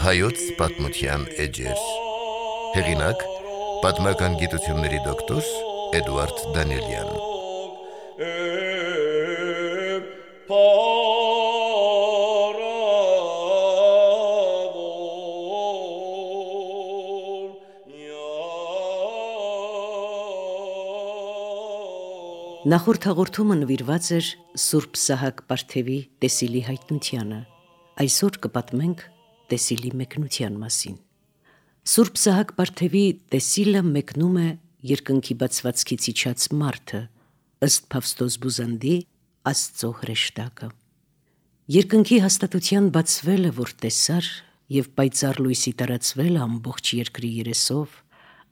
Հայոց պատմության էջեր։ Հեղինակ՝ պատմական գիտությունների դոկտոր Էդուարդ Դանիելյան։ Նախորդ հաղորդումը նվիրված էր Սուրբ Սահակ Պարթևի տեսիլի հայտնությանը։ Այսօր կպատմենք տեսիլի մեկնության մասին։ Սուրբ Սահակ Պարթևի տեսիլը մեկնում է երկնքի բացվածքից իջած մարդը, ըստ Փավստոս Բուզանդի Աստծո հրեշտակը։ Երկնքի հաստատության բացվելը, որ տեսար, եւ պայծառ լույսի տարածվելը ամբողջ երկրի երեսով,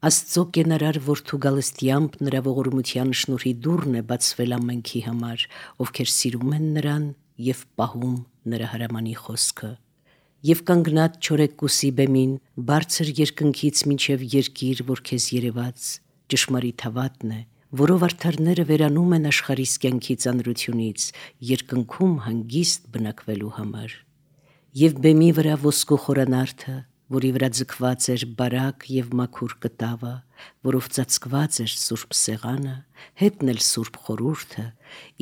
Աստծո կենարար որդու գալստյամբ նրա ողորմության շնորհի դուռն է բացվել ամենքի համար, ովքեր սիրում են նրան եւ պահում նրա հրամանի խոսքը։ Եվ կանգնած չորեքկուսի բեմին, բարձր երկնքից մինչև երկիր, որ քեզ երևաց, ճշմարիտ հավատն է, որով արդարները վերանում են աշխարհիս կյանքի ծանրությունից, երկնքում հանգիստ բնակվելու համար։ Եվ բեմի վրա ոսկու խորանարդը, որի վրա ձգված էր բարակ եւ մաքուր կտավը, որով ծածկված էր սուրբ սեղանը, հետն էլ սուրբ խորհուրդը,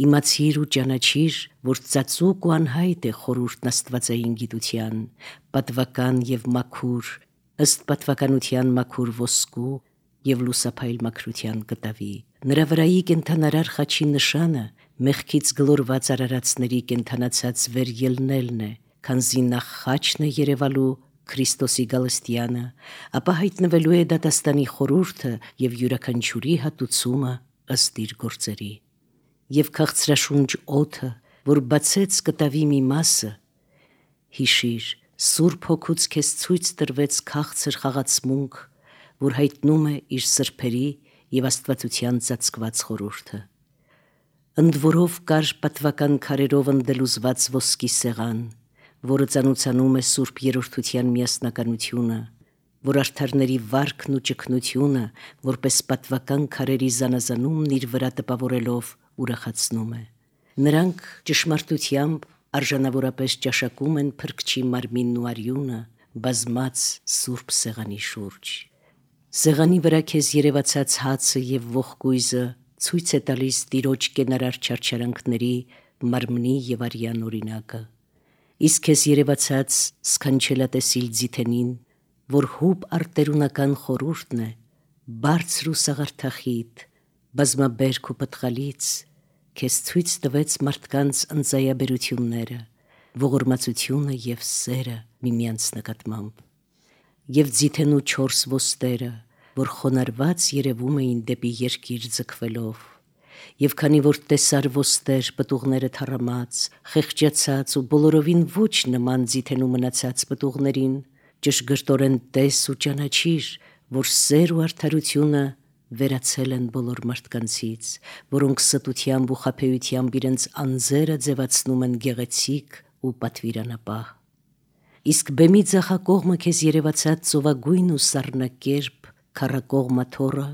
իմացիր ու ճանաչիր, որ ծածուկ ու անհայտ է խորհուրդն աստվածային գիտության, պատվական եւ մաքուր, ըստ պատվականության մաքուր ոսկու եւ լուսափայլ մաքրության կտավի։ Նրա վրայի կենթանարար խաչի նշանը մեղքից գլորված արարածների կենթանացած վեր ելնելն է, քանզի նախ խաչն է երևալու Քրիստոսի գալստյանը, ապա հայտնվելու է դատաստանի խորհուրդը եւ յուրաքանչյուրի հատուցումը ըստ իր գործերի։ Եվ քաղցրաշունչ օդը, որ բացեց կտավի մի մասը, հիշիր, Սուրբ Հոգուց քեզ ցույց տրվեց քաղցր խաղացմունք, որ հայտնում է իր սրբերի եւ աստվածության ծածկված խորհուրդը։ Ընդ որով կար պատվական քարերով ընդելուզված ոսկի սեղան, որը ծանուցանում է Սուրբ Երրորդության միասնականությունը, որ արդարների վարքն ու ճգնությունը, որպես պատվական քարերի զանազանումն իր վրա տպավորելով ուրախացնում է։ Նրանք ճշմարտությամբ արժանավորապես ճաշակում են Փրկչի մարմինն ու արյունը, բազմած Սուրբ Սեղանի շուրջ։ Սեղանի վրա քեզ երևացած հացը եւ ողկույզը ցույց է տալիս Տիրոջ կենարար չարչարանքների, մարմնի եւ արյան օրինակը։ Իսկ քեզ երևացած սքանչելատեսիլ ձիթենին, որ հուբ արտերունական խորհուրդն է, բարձր ու սաղարթախիտ, բազմաբերք ու պտղալից, քեզ ցույց տվեց մարդկանց ընծայաբերությունները, ողորմածությունը եւ սերը միմյանց նկատմամբ։ Եվ ձիթենու 4 ոստերը, որ խոնարհված երևում էին դեպի երկիր ձգվելով, եւ քանի որ տեսար ոստեր պտուղները թառամած, խեղճացած ու բոլորովին ոչ նման ձիթենու մնացած պտուղներին, ճշգրտորեն տես ու ճանաչիր, որ սեր ու արդարությունը վերացել են բոլոր մարդկանցից, որոնք ստությամբ ու խաբեությամբ իրենց անձերը ձևացնում են գեղեցիկ ու պատվիրանապահ։ Իսկ բեմի ձախակողմը քեզ երևացած ծովագույն ու սառնակերպ քառակողմ աթոռը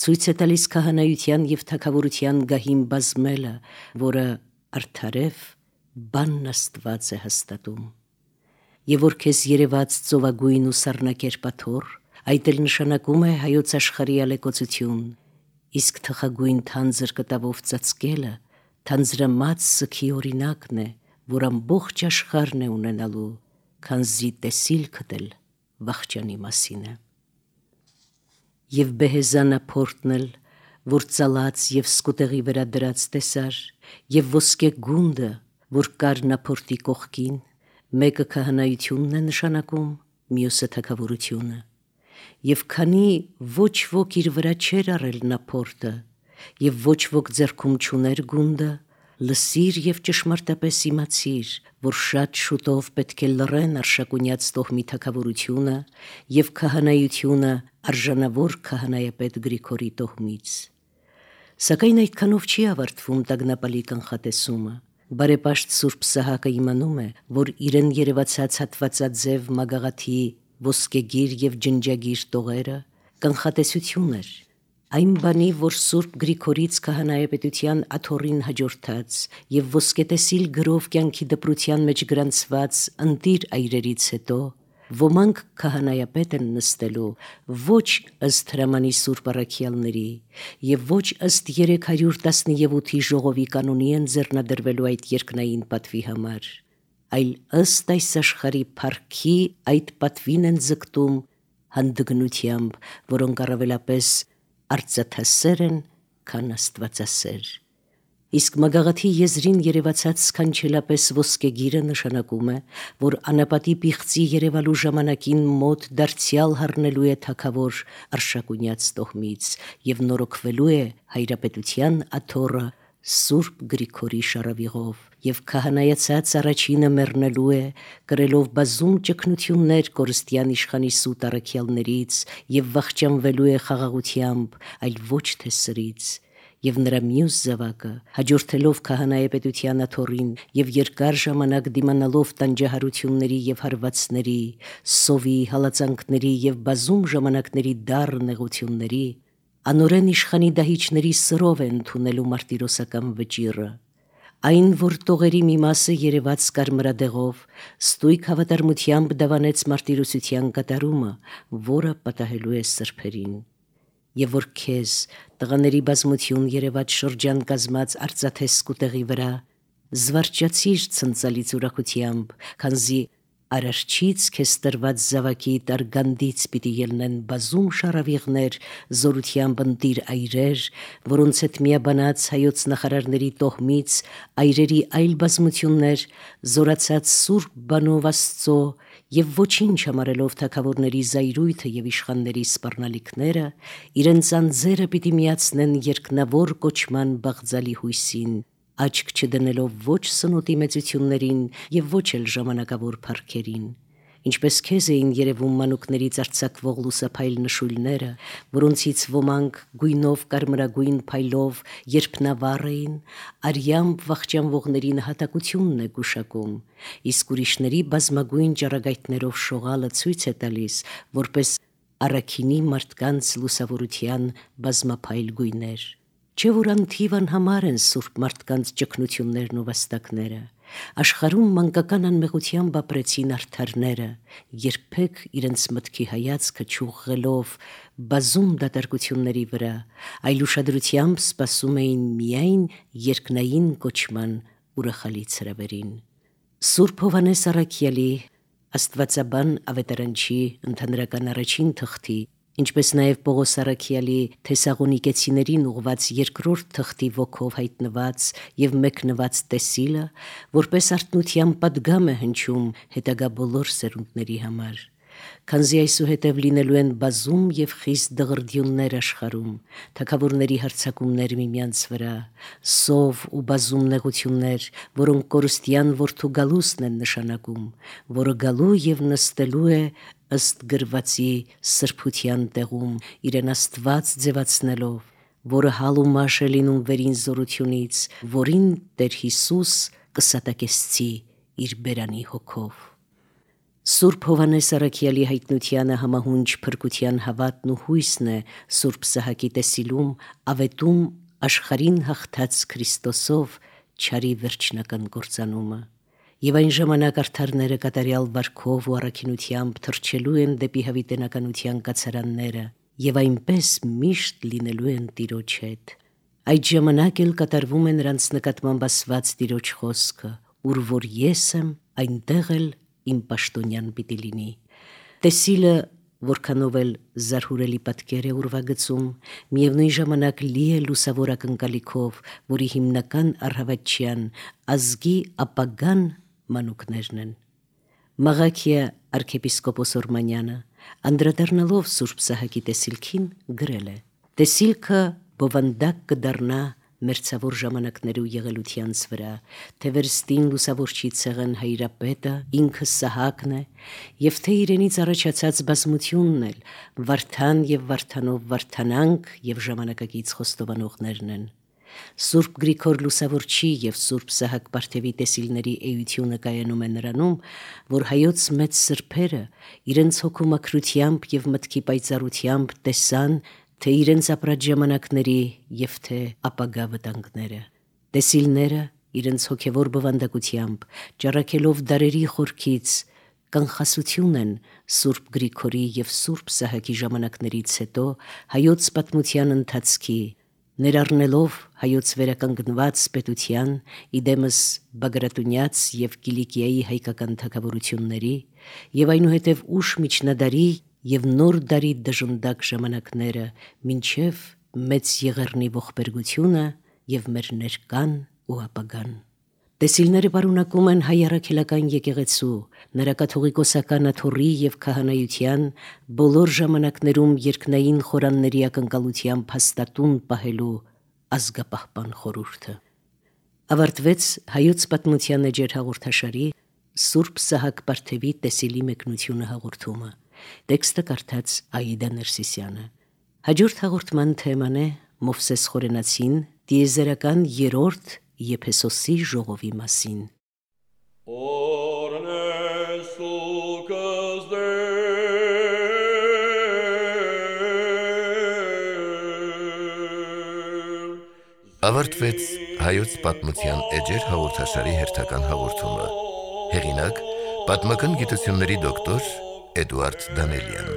ցույց է տալիս քահանայության եւ թագավորության գահին բազմելը, որը արդարև բանն Աստված է հաստատում։ Եվ որ քեզ երևաց ծովագույն ու սառնակերպ աթոռ, այդ էլ նշանակում է հայոց աշխարհի ալեկոծություն, իսկ թխագույն թանձր կտավով ծածկելը թանձրամած սքի օրինակն է, որ ամբողջ աշխարհն է ունենալու, քանզի տեսիլքդ էլ վախճանի մասին է։ Եվ բեհեզանա փորտն էլ, որ ծալած եւ սկուտեղի վրա դրած տեսար, եւ ոսկե գունդը, որ կար նա փորտի կողքին, մեկը քահանայությունն է նշանակում, մյուսը թագավորությունը։ Եվ քանի ոչ ոք իր վրա չէր առել նա փորտը, եւ ոչ ոք ձեռքում չուներ գունդը, լսիր եւ ճշմարտապես իմացիր, որ շատ շուտով պետք է լռեն արշակունյաց տոհմի թագավորությունը եւ քահանայությունը արժանավոր քահանայապետ Գրիգորի տոհմից։ Սակայն այդքանով չի ավարտվում տագնապալի կանխատեսումը։ Բարեպաշտ Սուրբ Սահակը իմանում է, որ իրեն երևացած հատվածաձև մագաղաթի ոսկեգիր եւ ջնջագիր տողերը կանխատեսություն էր, այն բանի, որ Սուրբ Գրիգորից քահանայապետության աթոռին հաջորդած եւ ոսկետեսիլ գրով կյանքի դպրության մեջ գրանցված ընտիր այրերից հետո, Ոմանք քահանայապետ են նստելու ոչ ըստ հրամանի սուրբ առաքյալների եւ ոչ ըստ 317-ի ժողովի կանոնի են ձեռնադրվելու այդ երկնային պատվի համար, այլ ըստ այս աշխարհի փառքի այդ պատվին են ձգտում հանդգնությամբ, որոնք առավելապես արծաթասեր են, քան աստվածասեր։ Իսկ մագաղաթի եզրին երևացած սքանչելապես ոսկեգիրը նշանակում է, որ անապատի պիղծի երևալու ժամանակին մոտ դարձյալ հառնելու է թագավոր Արշակունյաց տոհմից եւ նորոգվելու է հայրապետության աթոռը Սուրբ Գրիգորի շարավիղով եւ քահանայացած առաջինը մեռնելու է, կրելով բազում ճգնություններ կորստյան իշխանի սուտ առաքյալներից եւ վախճանվելու է խաղաղությամբ, այլ ոչ թե սրից։ Եվ նրա մյուս զավակը, հաջորդելով քահանայապետության աթոռին եւ երկար ժամանակ դիմանալով տանջահարությունների եւ հարվածների, սովի, հալածանքների եւ բազում ժամանակների դառ նեղությունների, անօրեն իշխանի դահիճների սրով է ընդունելու մարտիրոսական վճիռը։ Այն, որ տողերի մի մասը երևաց կարմրադեղով, ստույգ հավատարմությամբ դավանեց մարտիրոսության կատարումը, որը պատահելու է սրբերին։ Եվ որ քեզ տղաների բազմություն երևաց շրջան կազմած արծաթե սկուտեղի վրա, զվարճացիր ցնցալից ուրախությամբ, քանզի արարչից քեզ տրված զավակի տարգանդից պիտի ելնեն բազում շարավիղներ, զորությամբ ընտիր այրեր, որոնց հետ միաբանած հայոց նախարարների տոհմից այրերի այլ բազմություններ, զորացած սուրբ բանով Աստծո եւ ոչինչ համարելով թագավորների զայրույթը եւ իշխանների սպառնալիքները, իրենց անձերը պիտի միացնեն երկնավոր կոչման բաղձալի հույսին, աչք չդնելով ոչ սնոտի մեծություններին եւ ոչ էլ ժամանակավոր փառքերին, ինչպես քեզ էին երևում մանուկներից արձակվող լուսափայլ նշույլները, որոնցից ոմանք գույնով կարմրագույն փայլով երփնավառ էին, արյամբ վախճանվողների նահատակությունն է գուշակում, իսկ ուրիշների բազմագույն ճառագայթներով շողալը ցույց է տալիս, որպես առաքինի մարդկանց լուսավորության բազմափայլ գույներ։ Չէ որ անթիվ անհամար են սուրբ մարդկանց ճգնություններն ու վաստակները, աշխարհում մանկական անմեղությամբ ապրեցին արդարները, երբեք իրենց մտքի հայացքը չուղղելով բազում դատարկությունների վրա, այլ ուշադրությամբ սպասում էին միայն երկնային կոչման ուրախալից հրավերին։ Սուրբ Հովհաննես առաքյալի, աստվածաբան ավետարանչի ընդհանրական առաջին թղթի, ինչպես նաև Պողոս առաքյալի Թեսաղոնիկեցիներին ուղված երկրորդ թղթի ոգով հայտնված եւ մեկնված տեսիլը, որպես արթնության պատգամ է հնչում հետագա բոլոր սերունդների համար։ Քանզի այսուհետև լինելու են բազում եւ խիստ դղրդյուններ աշխարհում, թագավորների հարձակումներ միմյանց վրա, սով ու բազում նեղություններ, որոնք կորստյան որդու գալուստն են նշանակում, որը գալու եւ նստելու է ըստ գրվածի սրբության տեղում, իրեն Աստված ձևացնելով, որը հալ ու մաշ է լինում վերին զորությունից, որին Տեր Հիսուս կսատակեցցի իր բերանի հոգով։ Սուրբ Հովհաննես առաքյալի հայտնությանը համահունչ փրկության հավատն ու հույսն է Սուրբ Սահակի տեսիլում ավետում աշխարհին հաղթած Քրիստոսով չարի վերջնական կործանումը։ Եվ այն ժամանակ արդարները կատարյալ վարքով ու առաքինությամբ թռչելու են դեպի հավիտենականության կացարանները եւ այնպես միշտ լինելու են Տիրոջ հետ։ Այդ ժամանակ էլ կատարվում է նրանց նկատմամբ ասված Տիրոջ խոսքը, ուր որ ես եմ, այնտեղ էլ իմ պաշտոնյան պիտի լինի։ Տեսիլը, որքանով էլ զարհուրելի պատկեր է ուրվագծում, միևնույն ժամանակ լի է լուսավոր ակնկալիքով, որի հիմնական առհավատչյան ազգի ապագան մանուկներն են։ Մաղաքիա arczepiskopos Օրմանյանը, անդրադառնալով Սուրբ Սահակի տեսիլքին, գրել է. Տեսիլքը բովանդակ կդառնա մերձավոր ժամանակներու եղելությանց վրա, թե վերստին լուսավորչի ցեղն հայրապետը ինքը Սահակն է, եւ թե իրենից առաջացած բազմությունն էլ Վարդան եւ Վարդանով Վարդանանք եւ ժամանակակից խոստովանողներն են։ Սուրբ Գրիգոր լուսավորչի եւ Սուրբ Սահակ Պարթևի տեսիլների էությունը կայանում է նրանում, որ հայոց մեծ սրբերը իրենց հոգու մաքրությամբ եւ մտքի պայծառությամբ տեսան թե իրենց ապրած ժամանակների եւ թե ապագա վտանգները։ Տեսիլները իրենց հոգևոր բովանդակությամբ ճառակելով դարերի խորքից կանխասություն են Սուրբ Գրիգորի եւ Սուրբ Սահակի ժամանակներից հետո հայոց պատմության ընթացքի, ներառնելով հայոց վերականգնված պետության, իդեմս Բագրատունյաց եւ Կիլիկիայի հայկական թագավորությունների եւ այնուհետև ուշ միջնադարի եւ նոր դարի դժնդակ ժամանակները մինչեւ մեծ Եղեռնի ողբերգությունը եւ մեր ներկան ու ապագան։ Տեսիլները պարունակում են հայ առաքելական եկեղեցու, նրա կաթողիկոսական աթոռի եւ քահանայության բոլոր ժամանակներում երկնային խորանների ակնկալությամբ հաստատուն պահելու ազգապահպան խորհուրդը։ Ավարտվեց հայոց պատմության էջեր հաղորդաշարի Սուրբ Սահակ Պարթևի տեսիլի մեկնությունը հաղորդումը։ Տեքստը կարդաց Աիդա Ներսիսյանը։ Հաջորդ հաղորդման թեման է Մովսես Խորենացին տիեզերական երրորդ Եփեսոսի ժողովի մասին։ Ավարտվեց հայոց պատմության էջեր հաղորդաշարի հերթական հաղորդումը։ Հեղինակ՝ պատմական գիտությունների դոկտոր Էդուարդ Դանելյան։